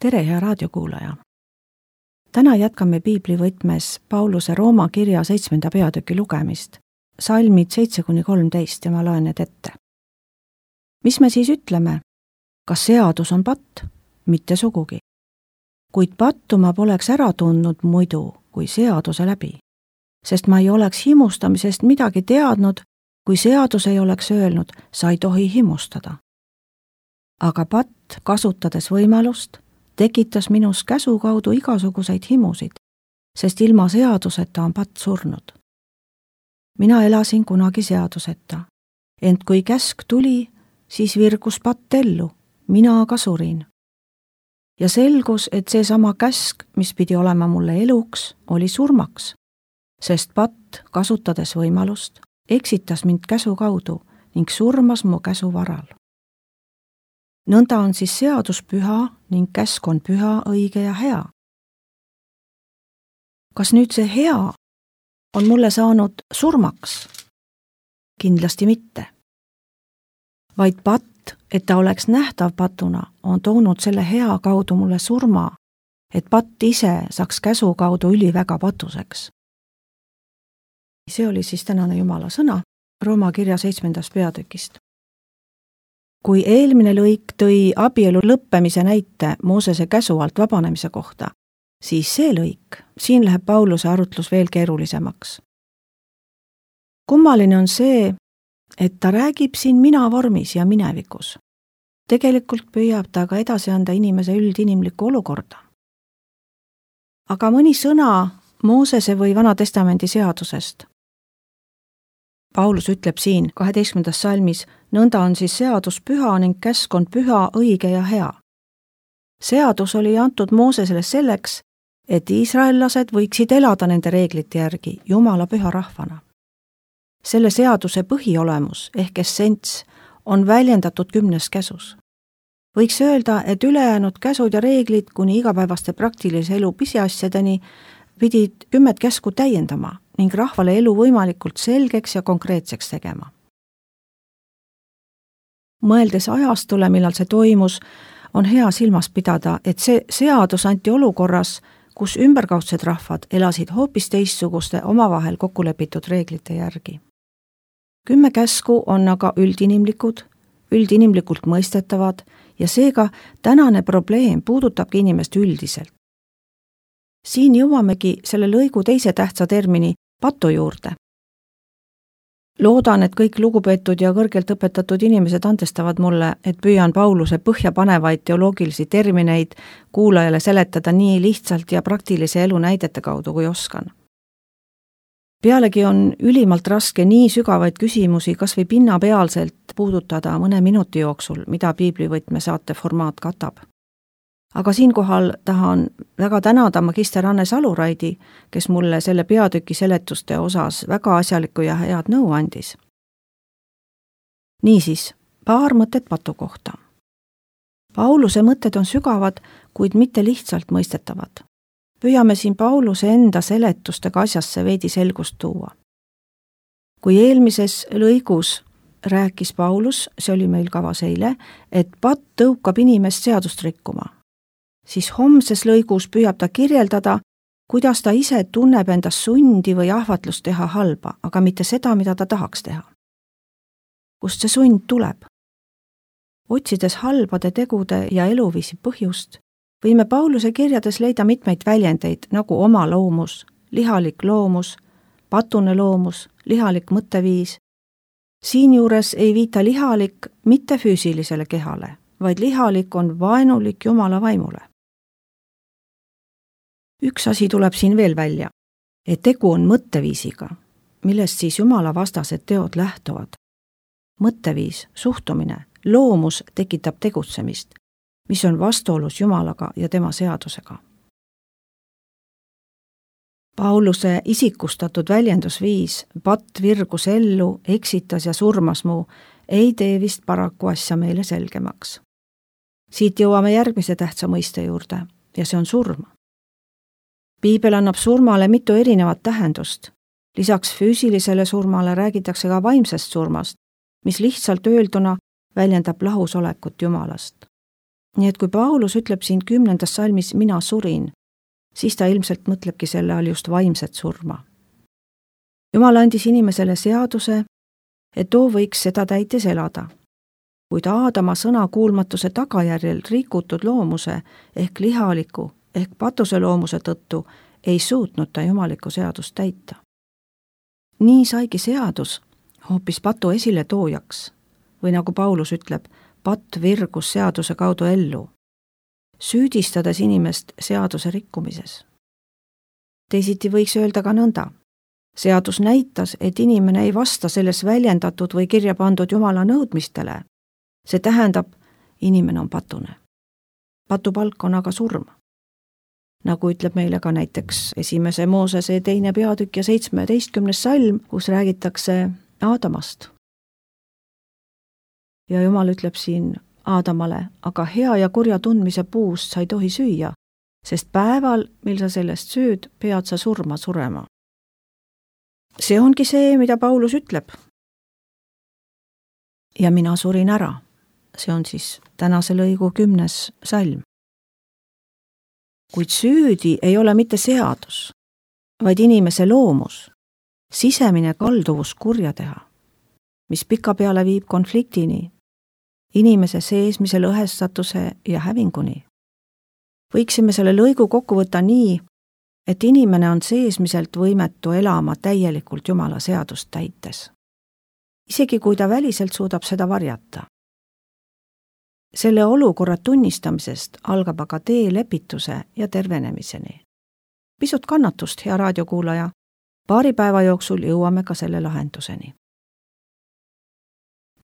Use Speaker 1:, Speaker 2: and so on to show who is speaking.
Speaker 1: Tere, hea raadiokuulaja! Täna jätkame piiblivõtmes Pauluse Rooma kirja 7. peatüki lugemist, salmid 7-13 ja ma loen need ette. Mis me siis ütleme? Kas seadus on patt? Mitte sugugi. Kuid pattu ma poleks ära tundnud muidu kui seaduse läbi, sest ma ei oleks himustamisest midagi teadnud, kui seadus ei oleks öelnud, sa ei tohi himustada. Aga patt, kasutades võimalust, tekitas minus käsu kaudu igasuguseid himusid, sest ilma seaduseta on patt surnud. Mina elasin kunagi seaduseta, ent kui käsk tuli, siis virgus patt ellu, mina aga surin. Ja selgus, et seesama käsk, mis pidi olema mulle eluks, oli surmaks, sest patt, kasutades võimalust, eksitas mind käsu kaudu ning surmas mu käsu varal. Nõnda on siis seadus püha ning käsk on püha, õige ja hea. Kas nüüd see hea on mulle saanud surmaks? Kindlasti mitte. Vaid patt, et ta oleks nähtav patuna, on toonud selle hea kaudu mulle surma, et patt ise saaks käsu kaudu üliväga patuseks. See oli siis tänane Jumala sõna Rooma kirja 7. peatükist. Kui eelmine lõik tõi abielu lõppemise näite Moosese käsu alt vabanemise kohta, siis see lõik, siin läheb Pauluse arutlus veel keerulisemaks. Kummaline on see, et ta räägib siin mina vormis ja minevikus. Tegelikult püüab ta ka edasi anda inimese üldinimlikku olukorda. Aga mõni sõna Moosese või Vana Testamendi seadusest. Paulus ütleb siin 12. salmis, nõnda on siis seadus püha ning käsk on püha, õige ja hea. Seadus oli antud Moosesele selleks, et iisraellased võiksid elada nende reeglite järgi Jumala püha rahvana. Selle seaduse põhiolemus ehk essents on väljendatud 10 käsus. Võiks öelda, et ülejäänud käsud ja reeglid kuni igapäevaste praktilise elu pisiasjadeni pidid 10 käsku täiendama ning rahvale elu võimalikult selgeks ja konkreetseks tegema. Mõeldes ajastule, millal see toimus, on hea silmas pidada, et see seadus anti olukorras, kus ümberkaudsed rahvad elasid hoopis teistsuguste omavahel kokkulepitud reeglite järgi. 10 käsku on aga üldinimlikult mõistetavad ja seega tänane probleem puudutabki inimest üldiselt. Siin jõuamegi selle lõigu teise tähtsa termini patu juurde. Loodan, et kõik lugupeetud ja kõrgelt õpetatud inimesed andestavad mulle, et püüan Pauluse põhjapanevaid teoloogilisi termineid kuulajale seletada nii lihtsalt ja praktilise elu näidete kaudu, kui oskan. Pealegi on ülimalt raske nii sügavaid küsimusi kas või pinnapealselt puudutada mõne minuti jooksul, mida piiblivõtme saate formaat katab. Aga siinkohal tahan väga tänada magister Anne Saluraidi, kes mulle selle peatüki seletuste osas väga asjalikku ja head nõu andis. Niisiis, paar mõtet patu kohta. Pauluse mõtted on sügavad, kuid mitte lihtsalt mõistetavad. Püüame siin Pauluse enda seletustega asjasse veidi selgust tuua. Kui eelmises lõigus rääkis Paulus, see oli meil kavas eile, et patt tõukab inimest seadust rikkuma, siis homses lõigus püüab ta kirjeldada, kuidas ta ise tunneb endas sundi või ahvatlust teha halba, aga mitte seda, mida ta tahaks teha. Kust see sund tuleb? Otsides halbade tegude ja eluviisi põhjust, võime Pauluse kirjades leida mitmeid väljendeid nagu oma loomus, lihalik loomus, patune loomus, lihalik mõtteviis. Siinjuures ei viita lihalik mitte füüsilisele kehale, vaid lihalik on vaenulik Jumala vaimule. Üks asi tuleb siin veel välja, et tegu on mõtteviisiga, millest siis Jumala vastased teod lähtuvad. Mõtteviis, suhtumine, loomus tekitab tegutsemist, mis on vastuolus Jumalaga ja tema seadusega. Pauluse isikustatud väljendusviis, patt virgus ellu, eksitas ja surmas mu, ei tee vist paraku asja meile selgemaks. Siit jõuame järgmise tähtsa mõiste juurde ja see on surm. Piibel annab surmale mitu erinevat tähendust. Lisaks füüsilisele surmale räägitakse ka vaimsest surmast, mis lihtsalt öelduna väljendab lahusolekut Jumalast. nii et kui Paulus ütleb siin 10. salmis mina surin, siis ta ilmselt mõtlebki selle all just vaimset surma. Jumal andis inimesele seaduse, et too võiks seda täites elada. Kuid Aadama sõnakuulmatuse tagajärjel rikutud loomuse ehk lihaliku ehk patuse loomuse tõttu ei suutnud ta jumalikku seadust täita. Nii saigi seadus hoopis patu esile toojaks või nagu Paulus ütleb, patt virgus seaduse kaudu ellu, süüdistades inimest seaduse rikkumises. Teisiti võiks öelda ka nõnda. Seadus näitas, et inimene ei vasta selles väljendatud või kirja pandud Jumala nõudmistele. See tähendab, inimene on patune. Patupalk on aga surm. Nagu ütleb meile ka näiteks 1. Moosese 2. peatükk ja 17. salm, kus räägitakse Aadamast. Ja Jumal ütleb siin Aadamale, aga hea ja kurja tundmise puust sa ei tohi süüa, sest päeval, mil sa sellest sööd, pead sa surema. See ongi see, mida Paulus ütleb. Ja mina surin ära. See on siis tänase lõigu 10. salm. Kuid süüdi ei ole mitte seadus, vaid inimese loomus, sisemine kalduvus kurja teha, mis pikapeale viib konfliktini, inimese seesmise lõhestatuse ja hävinguni. Võiksime selle lõigu kokku võtta nii, et inimene on seesmiselt võimetu elama täielikult Jumala seadust täites. Isegi kui ta väliselt suudab seda varjata. Selle olukorra tunnistamisest algab aga tee lepituse ja tervenemiseni. Pisut kannatust, hea raadiokuulaja. Paari päeva jooksul jõuame ka selle lahenduseni.